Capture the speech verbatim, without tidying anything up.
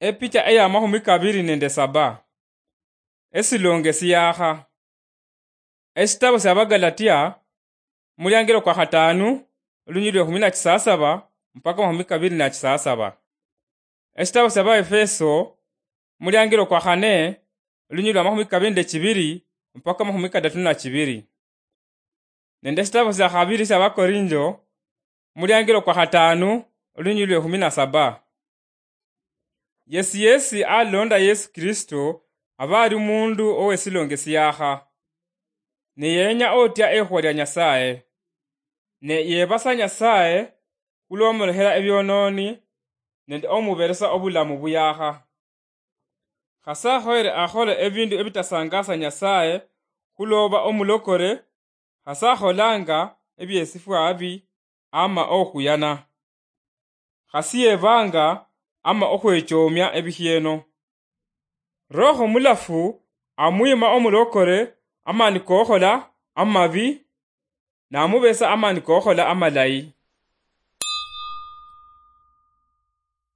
Epicha eya mahumi kabiri nende saba. Esilonge siyaha. Esitabo sia Bagalatia, muliangilo kwa hatanu, olunyili lwe humi na chisasaba mpaka mahumi kabiri na chisasaba. Esitabo sia Baefeso, muliangilo kwa hane, olunyili lwa mahumi kabiri nende chibiri mpaka mahumi kadatu na chibiri. Nende esitabo sia habiri sia Bakorinjo, muliangilo kwa hatanu, olunyili lwe humi na saba. Yesi yesi alonda Yesu Kristo aba ali mundu owesilonge siyaha, ne yenya otya ehuwa lia Nyasaye, ne yebasa Nyasaye hulwomolehela ebiononi nende omuberesa obulamu buyaha. Khase ahoyere akhole ebindu ebitasangasa Nyasaye, khuloba omulokore, khase akholanga ebiesifwa abi ama okhuyana. Khasi yebanga ama okhwechomia ebikhieno. Roho Mulafu amwima omulokore amani kokhola amabi, namubesa amani kokhola amalayi.